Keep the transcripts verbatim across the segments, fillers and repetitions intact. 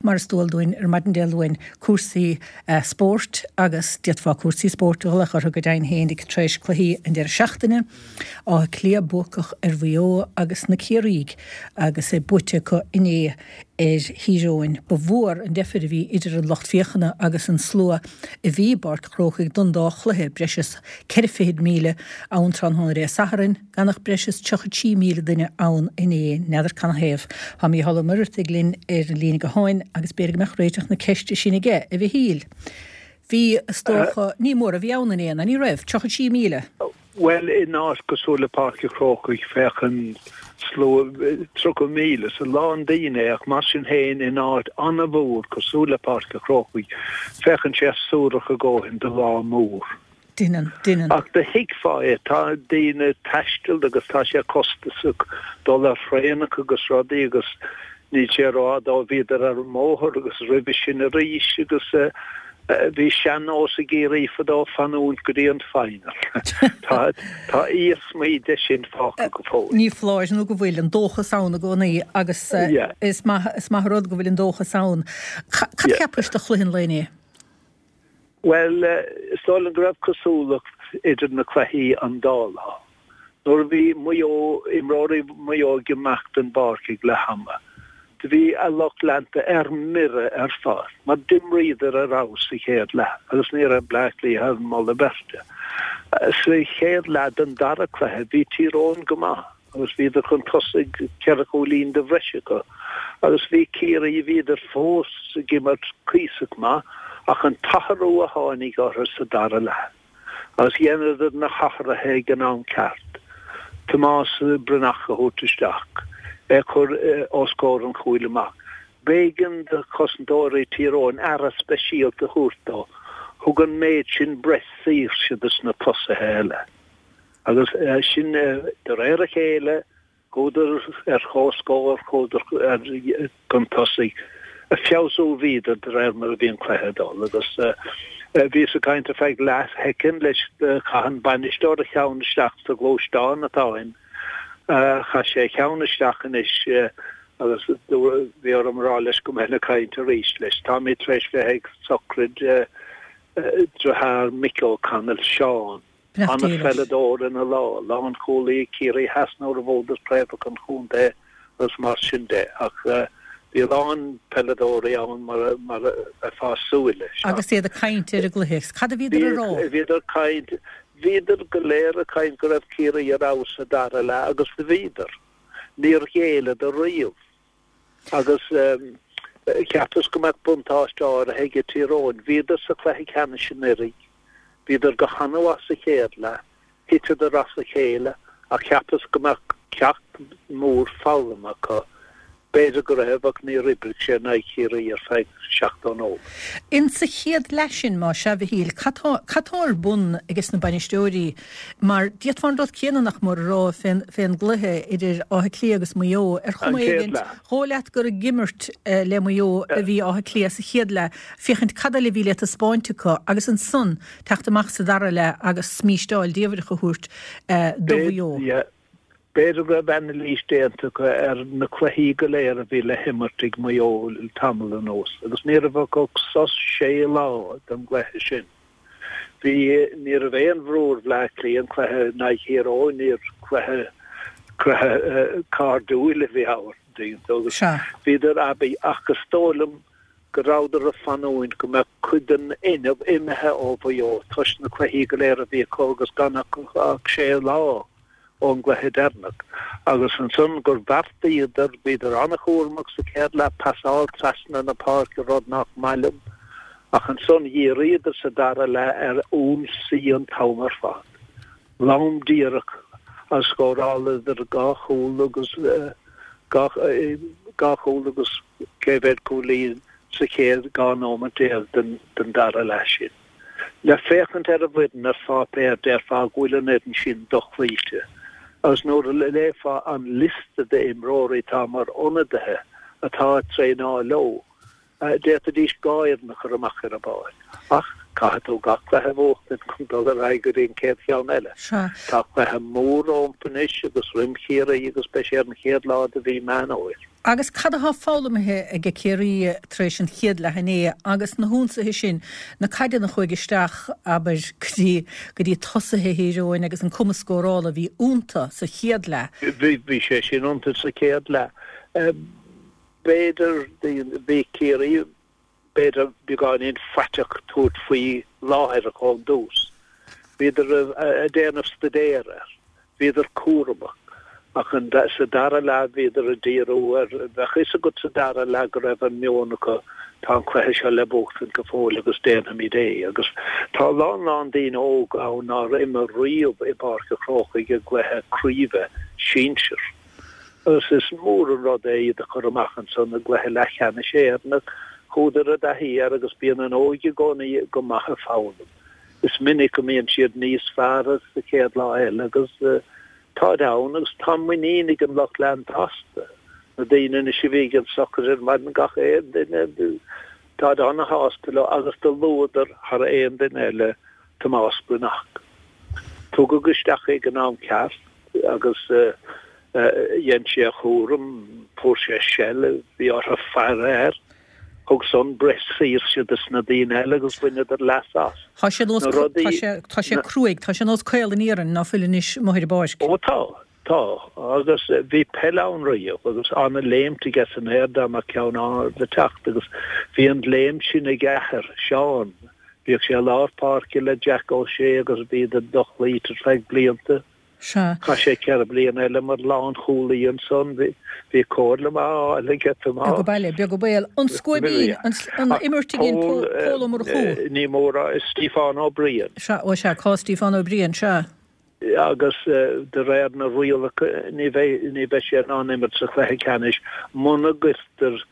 Mar is dual dúinn ar maidin Dé Luain, cúrsaí spóirt agus d'fhéadfá cúrsaí spóirt a ghlaoch orthu go deimhin féin tar éis cluichí an deireadh seachtaine, Áth Cliath buacach ar Mhaigh Eo agus na Ciarraígh agus é buaite acu inné ar Thír Eoghain. Ba mhór an deifir a bhí idir an lucht féachana agus an slua a bhí i bPáirc Chrócaigh don dá chluiche, breis is ceithre fichid míle ann tráthnóna Dé Sathairn, gan ach breis is tríocha trí míle duine ann inné. N'fheadar canathaobh. Tá Mícheál Ó Muircheartaigh linn ar an líne gutháin agus b'fhéidir go mbeadh réiteach na ceiste sin aige, a Mhichíl. Bhí, is dócha, ní mór a bhí ann inné, ná ní raibh? Tríocha trí míle. Bhuel, in áit cosúil le Páirc an Chrócaigh, féachann slua tríocha míle, is a lán daoine é, ach mar sin féin, in áit an-mhór cosúil le Páirc an Chrócaigh, féachann sé suarach a dhóthain do lá mór. Deineann, deineann. Ach do thuigfeá é, tá daoine ag taisteal agus tá sé costasach dul ar thraenacha agus rudaí agus níl sé rófhada ó bhíodar ar an mbóthar agus roimhe sin arís agus bhí sean-nós i gCiarraí fadó fanúint go dtí an final. Tá tá iarsmaí de sin fágtha go fóill. Ní foláir nó go bhfuil an dóchas ann i gcónaí agus is maith is maith an rud go bhfuil an dóchas ann. Cad a cheapais de chluiche an lae inné? Bhuel, is dóigh liom go raibh cosúlacht idir na cluichí an dá lá. Nuair a bhí Maigh Eo, imreoirí Mhaigh Eo ag imeacht den bpáirc ag leath ama, do bhí a lucht leanta ar mire ar fad, mar d'imríodar ar fheabhas sa chéad leath agus ní raibh Bleá Cliath ar mholadh beirte. Sa chéad leath den dara cluiche bhí Tír Eoghain go maith agus bhíodar chun tosaigh, ceithre chúilín de bhreis acu, agus bhí Ciarraí, bhíodar fós ag imirt cuíosach maith ach an t-athrú a tháinig orthu sa dara leath. Agus dheineadar na hathruithe ag an am ceart, Tomás Breathnach a thabhairt isteach, é a chur os comhair an chúil amach. B'éigean do chosantóirí Thír Eoghain aire speisialta a thabhairt dó. Thug an méid sin breis saoirse dos na tosaithe eile. Agus sin de réir a chéile. Chuadar ar comhscór, chuadar chun tosaigh. Ag feabhsú a bhíodar de réir mar a bhí an cluiche ag dul agus bhíos ag caint ar feadh leathshoicind leis, chaith an bainisteoir a cheann isteach sa ghluaisteán atá againn, chaith sé a cheann isteach anois agus bhí orm a rá leis go mbeinn ag caint arís leis. Táimid tar éis bheith ag sochraid dearthár Mick O'Connell, Seán. An-pheileadóir ina lá, lánchúlaí ag Ciarraí Theas nuair a bhuadar craobhacha an chontae agus mar sin de. Ach bhí a lán peileadóirí ann mar a bheifeá ag súil leis. Agus iad ag caint ar an gcluiche, cad a bhíodar a rá? Bhíodar ag caint, bhíodar go léir ag caint go raibh Ciarraí ar fheabhas sa dara leath agus do bhíodar. Níor ghéilleadar riamh. Agus cheapas go mbeadh buntáiste áirithe ag Tír Eoghain. Bhíodar sa chluiche ceannais anuraidh. Bhíodar go han-mhaith sa chéad leath, thiteadar as a chéile ach cheapas go mbeadh ceacht mór foghlamtha acu. B'fhéidir go raibh ach níor oibrigh sé in aghaidh Chiarraí ar feadh seachtó nóiméad. In sa chéad leath sin, más ea, a Mhichíl, cad tá, cad tá ar bun ages na bainisteoirí? Mar d'fhéadfá an rud céanna nach mór a rá fén, fén gcluiche idir Áth Cliath agus Maigh Eo. Ar An chuma chéad éigint, leath. dhóigh leat gur ag imirt le Maigh Eo a bhí Áth Cliath sa chéad leath, féachaint cad eile a bhí le taispeáint acu agus ansan teacht amach sa dara leath agus smísteáil diamhrach a thabhairt do Mhaigh Eo. B'fhéidir go raibh anailís déanta acu ar na cluichí go léir a bhí le himirt ag Maigh Eo le tamall anuas agus ní raibh acu ach sos sé lá don gcluiche sin. Bhí, ní raibh aon bhrú ar Bhleá Cliath, an cluiche in aghaidh Thír Eoghain, níor chluiche, cluiche cairdiúil a bhí ann, agus bhíodar aibí ach is dóigh liom go rabhadar ag fanúint go mbeadh cuid den fhuinneamh imithe ó Mhaigh Eo toisc na cluichí go léir a bhí acu agus gan acu ach sé lá ón gcluiche deireanach. Agus ansan gur bheartaíodar, bhíodar an-chúramach sa chéad leath, pasáil trasna na páirce, rud nach maith liom, ach ansan dhíríodar sa dara leath ar ionsaí an t-am ar fad. Lom díreach agus scóráladar dhá chúl agus dhá chúl agus cé mhéad cúilín sa chéad dhá nóimeat déag den dara leath sin. Le féachaint ar an bhfoireann ar pháipéar déarfá go bhfuil an fhoireann sin dochloíte agus nuair a léifeá an liosta d'imreoirí atá mar ionadaithe atá ag traenáil leo, D'fhéadfaidís dhá fhoireann a chur amach ar an bpáirc, ach Caithfidh tú gach cluiche a bhuachtaint chun dul ar aghaidh go dtí an chéad cheann eile. Tá cluiche mór rompu anois agus roim Chiarraí agus beidh sé ar an chéad lá de mhí Meán Fhómhair. Agus cad atá foghlamtha ag Ciarraí tar éis an chéad leath inné agus na hionsaithe sin, na caideanna a chuaigh isteach, abair, go dtí go dtí tosaithe Thír Eoghain agus an cumas scórála a bhí iontu sa chéad leath? Bhí bhí sé sin iontu sa chéad leath. B'fhéidir bhí Ciarraí b'fhéidir beagáinín faiteach tabhairt faoi láithreach ón dtús. Bhíodar ag déanamh staidéir air. Bhíodar cúramach. Ach sa dara leath bhíodar ag díriú ar, bheadh a fhios agat sa dara leath go raibh an meon acu, tá an cluiche seo le buachtaint go fóill agus déanfaimid é. Agus tá a lán lán daoine óga ann nár imir riamh i bPáirc an Chrócaigh i gcluiche craoibhe sinsir. Agus is mór an rud é iad a chur amach ansan i gcluiche leathcheannais Éireann. Chuadar i dtaithí air agus bíonn an óige i gcónaí go maith ag foghlaim. Is minic go mbíonn siad níos fearr sa chéad lá eile agus táid ann agus tá muinín ag an lucht leanta astu. Na daoine anois a bhí ag an sochraid ar maidin gach aon duine, táid ana-shásta leo agus do luadar thar aon duine eile Tomás Breathnach. Tugadh isteach é ag an am ceart agus dhein sé a chúram, fuair sé seilbh, bhí orthu faire air. Thug san breis saoirse dos na daoine eile agus bhaineadar leas as. Tá sé nós, Na rudaí, tá sé, tá sé cruaidh, tá sé nós caol an iarainn ná fuil anois amuigh ar an bpáirc. Ó tá, tá. Agus bhí peil ann riamh agus ana-léimt aige san aer dá mbeadh ceann ard ag teacht agus bhí an léim sin ag a athair, Seán. Bhíodh sé i lár páirce le Jack O'Shea agus bhíodar dochloíte ar feadh blianta. Sea. Chaith sé ceithre bliana eile mar lánchúlaí ansan. Bhí comhairle maith á fháil aige Beag Tomás. baile, beag an baol. An Scuaibín, an an imirt a dhein Pól, Pól Ó Murchú. ní mór a, Stiofán Ó Briain. Sea, ó sea, cás Stiofán Ó Briain, sea. Agus de réir na rialacha ní bheidh, ní bheidh sé in ann imirt sa chluiche ceannais muna gcuirtear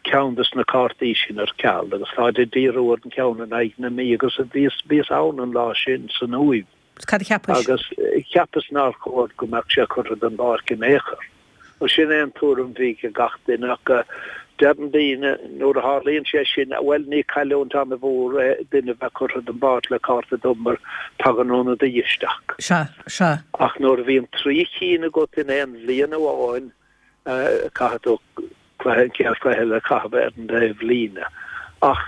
ceann de na cártaí sin ar ceal agus táid ag díriú ar an cheann in aghaidh na Mí agus bhíos, bhíos ann an lá sin san Uaimh. Cad a cheapais? Agus cheapas nár chóir go mbeadh sé curtha den bpáirc in aon chor. Nó sin é an tuairim a bhí ag gach duine ach deireann daoine nuair a tharlaíonn sé sin, bhuel ní cailliúint an-mhór é duine a bheith curtha den bpáirc le cárta dubh mar tagann ionadaí isteach. Sea, sea. Ach nuair a bhíonn trí chinn agat in aon bhliain amháin, caithfidh tú cluiche, an chéad chluiche eile a chaitheamh ar an taobhlíne. Ach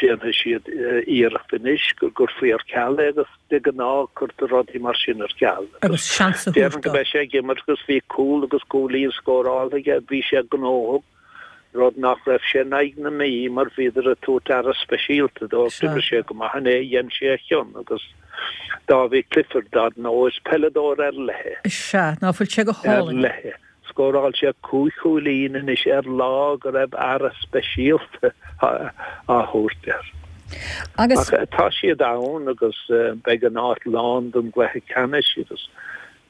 déanfaidh siad iarracht anois go gcuirfí ar ceal é agus de ghnáth cuirtear rudaí mar sin ar ceal. Agus seans a thabhairt Déarfainn go dó. mbeidh sé ag imirt agus bhí cúl agus cúilín scóráltha aige, bhí sé gnóthach, rud nach raibh sé in aghaidh na Mí mar bhíodar ag tabhairt aire speisialta dó. Sea. D'imir sé go maith inné, dhein sé a chion agus Dáibhí Clifford, dar ndóigh, is peileadóir ar leith é. Sea, ná fuil sé go Ar hálainn. leith é. Scóráil sé cúig chúilín anois ar lá go raibh aire speisialta á thabhairt air. Agus. Ach tá siad ann agus beidh an áit lán don gcluiche ceannais agus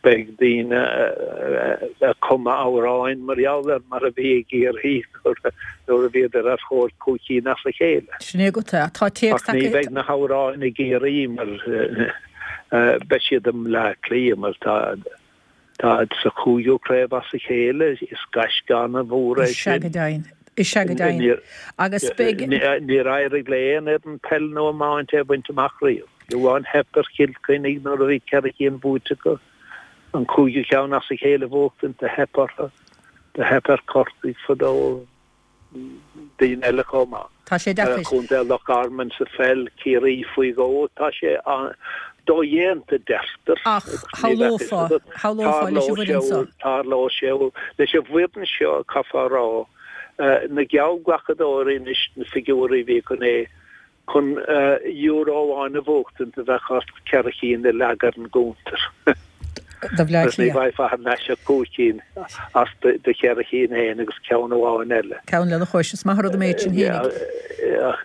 beidh daoine ag cumadh amhráin mar gheall air mar a bhí i gCiarraí nuair a bhíodar ar thóir cúig cinn as a chéile. Sin é agat é. Tá téacs Ach ní acu. bheidh na hamhráin i gCiarraí mar beidh siad i mBleá Cliath mar tá Táid sa chúigiú craobh as a chéile, is gaisce an-mhór é Is ea sin. go deimhin. Is ea go deimhin. Agus beidh. Níor éirigh le aon fhoireann peile nó iomáint é a bhaint amach riamh. Fiú amháin theip ar Chill Chainnigh nuair a bhí ceithre cinn buaite acu. An cúigiú ceann as a chéile a bhuachtaint, do theip orthu. Do theip ar Chorcaigh fadó. daoine eile chomh maith. Tá sé deacair. Contae Loch Garman sa pheil, Ciarraí faoi dhó, tá sé dodhéanta deirtear. Ach shamhlófá, shamhlófá leis an bhfoireann seo. Tarlóidh sé leis an bhfoireann seo, caithfear a rá, na geallghlacadóirí anois, na figiúirí a bhí acu inné, Chun euro amháin a bhuachtaint do bheadh ort ceithre chinn a leagadh ar an gcuntar. Do Bhleá Agus ní Cliath. bhfaighfeá thar n-ais ach cúig cinn as do cheithre chinn féin agus ceann amháin eile. Ceann lena chois. Is maith an rud an méid sin fhéinig.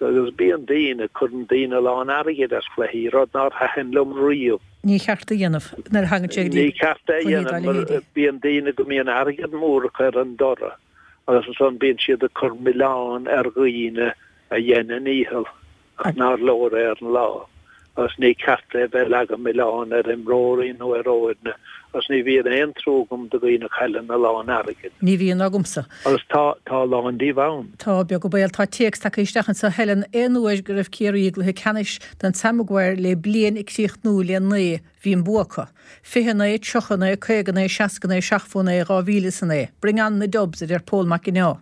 Agus bíonn daoine, cuireann daoine a lán airgid ar chluichí, rud nár thaitin liom riamh. Ní cheart a dhéanamh nuair a thagann sé go dtí Ní ceart é a cluichí dá dhéanamh mar leithéidí. bíonn daoine go mbíonn airgead mór acu ar an dtoradh agus ansan bíonn siad ag cur milleán ar dhaoine a dhein a ndícheall ach nár leor é ar an lá. Agus ní ceart é bheith ag leagan milleáin ar imreoirí nó ar fhoirne agus ní bhíonn aon trua agam do dhaoine a chailleann a lán airgid. Ní bhíonn agamsa. Agus tá tá a lán díobh ann. Tá, beag an baol. Tá téacs tagtha isteach anseo, Helen, aon uair go raibh Ciarraí i gcluiche ceannais den Sam Maguire le bliain ag críochnú le naoi, bhí an bua acu. Fiche a naoi, tríocha a naoi, caoga a naoi, seasca a naoi, seachtó a naoi, dhá mhíle is a naoi. Bring on the Dubs, a deir Pól Mac Ginneá.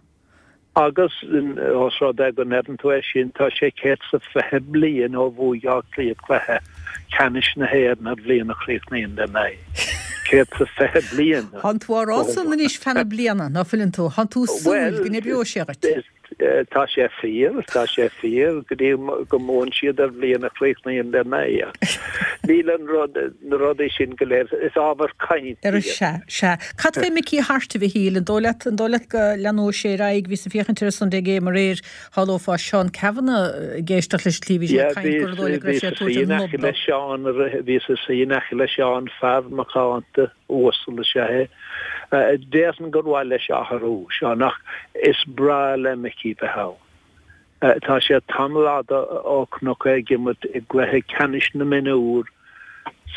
Agus os rud é go ndeireann tú é sin, tá sé céad 's a fiche bliain ó bhuaigh Áth Cliath cluiche ceannais na hÉireann ar bhliain a chríochnaíonn le naoi. Céad 's a fiche bliain Thánn tú á rá san anois feadh na bliana, ná fuileann tú? Thánn tú ag súil go n-oibreoidh sé dhuit. Tá sé fíor, tá sé fíor, go dtí go mbuann siad ar bhliain a chríochnaíonn le naoi. Níl an rud, na rudaí sin go léir, is ábhar cainte iad. Sea, sea. Cad fé Mickey Harte, a Mhichíl? An dóigh leat, an dóigh leat go leanóidh sé ar aghaidh? Bhíos ag féachaint ar an Sunday Game aréir, shamhlófá Seán Cavanagh ag éisteacht leis an tslí a bhí sé ag caint gur dóigh leat go raibh sé ag tabhairt an nod dó. Seán, bhíos ag suí in aice le Seán, fear macánta, uasal is ea é. Déarfainn gur mhaith leis athrú, Seán, ach is breá le Mickey bheith ann. Tá sé tamall fhada ó chonac é ag imirt i gcluiche ceannais na mionúr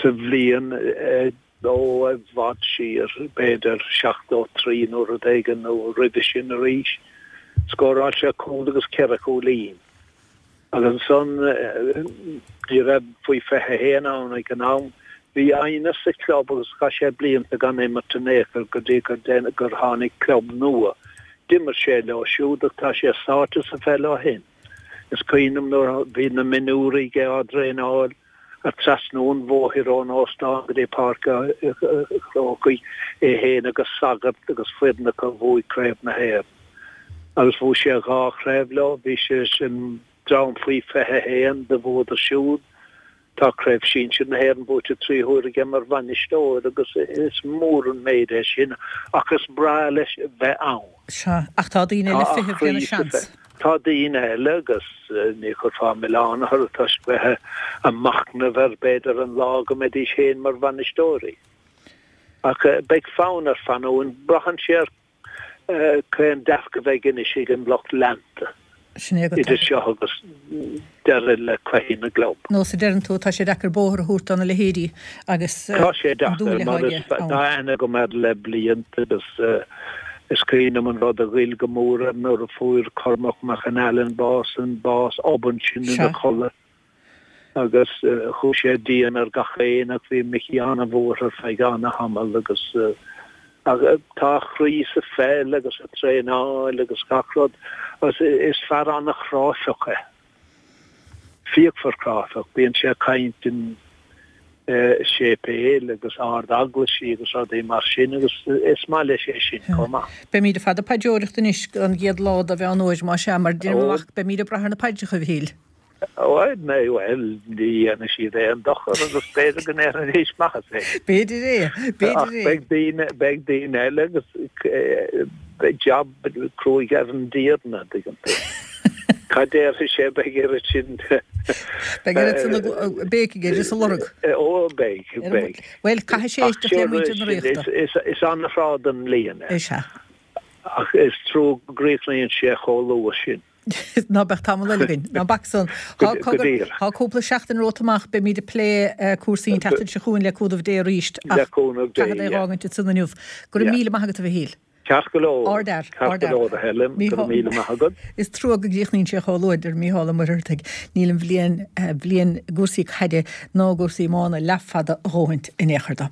sa bhliain ó i bhfad siar, b'fhéidir seachtó trí nó rud éigin nó roimhe sin arís. Scóráil sé cúl agus ceithre chúilín. Agus ansan ní raibh faoi fiche a haon ann ag an am. Bhí aighneas sa chlub agus chaith sé blianta gan imirt in aon chor go dtí gur tháinig club nua. D'imir sé leo siúd ach tá sé sáite sa pheil ó shin. Is cuimhin liom nuair a bhí na mionúraigh á dtraenáil ag trasnú an bhóthair ón óstán go dtí Páirc an Chrócaigh, é féin agus Sagart agus foireann acu a bhuaigh Craobh na hÉireann. Agus bhuaigh sé dhá chraobh leo, bhí sé leis an dream faoi fiche a haon do bhuadar siúd. Tá Craobh Sinsir na hÉireann buaite trí huaire aige mar bhainisteoir agus is mór an méid é sin ach is breá leis bheith ann. Sea, ach tá daoine eile ag feitheamh lena seans. Tá daoine eile agus ní chuirfeá milleán orthu toisc bheith ag machnamh ar b'fhéidir an lá go mbeidís féin mar bhainisteoirí. Ach beidh fonn air fanúint, braitheann sé ar Cén dearcadh a bheidh anois ag an lucht leanta Sin é agat. idir seo agus deireadh le cluichí na gclub? Nó sa deireann tú, tá sé deacair bóthar a thabhairt do na leithéidí agus Tá sé an deacair dúil mar atá is aige ann. tá aithne agam air le blianta agus is cuimhin liom an rud a ghoill go mór air nuair a fuair Cormac Mac an Ailin bás, an bás obann sin ina Sea. chodladh. Agus chuaigh sé dian ar gach éinne ach bhí Micí an-bhuartha ar feadh an-tamall agus tá a chroí sa pheil agus sa traenáil agus gach rud agus is fear an-chráifeach é. Fíochmhar cráifeach. Bíonn sé ag caint in séipéil agus ard-eaglaisí agus rudaí mar sin agus is maith leis é sin chomh maith. Beimíd ar fad ag paidreoireacht anois an gcéad lá de Mheán Fhómhair, más ea, mar deirim amach, beimíd ag brath ar na paidreacha, a Mhichíl. Bhuel, bhuel, ní dhéanfaidh siad aon dochar agus b'fhéidir go ndéanfaidís maitheas é. B'fhéidir é, b'fhéidir Ach é. beidh daoine, beidh daoine eile agus beidh jab cruaidh ar an dTiarna, an dtuigeann tú. Cad déarfaidh sé, beidh oiread sin Beidh oiread sin béic aige is a lorg. Ó, beidh, beidh. Bhuel, caithfidh sé Ach éisteacht le muintir na is, Ríochta. is, is an-thráth den mbliain é. Is ea. Ach is trua go gcríochnaíonn sé chomh luath sin. Ná beadh tamall eile againn. Ná bac san. Go díreach. Tá cúpla seachtain romhat amach, beimid ag plé cúrsaí an tseachtain seo chugainn le cúnamh Dé arís Le ach cúnamh Dé, caithfead é yeah. dh'fhágaint ansan inniu. Go raibh Yeah. míle maith agat a Mhichíl. Ceart go leor. Ardfhear, Ceart go ardfhear. leor a Helen, go raibh míle maith agat. Is trua go gcríochnaíonn sé chomh luath, deir Mícheál Ó Muircheartaigh. Níl an bhliain, bhliain i gcúrsaí caide ná i gcúrsaí iomána leathfhada a dhóthaint in aon chor dó.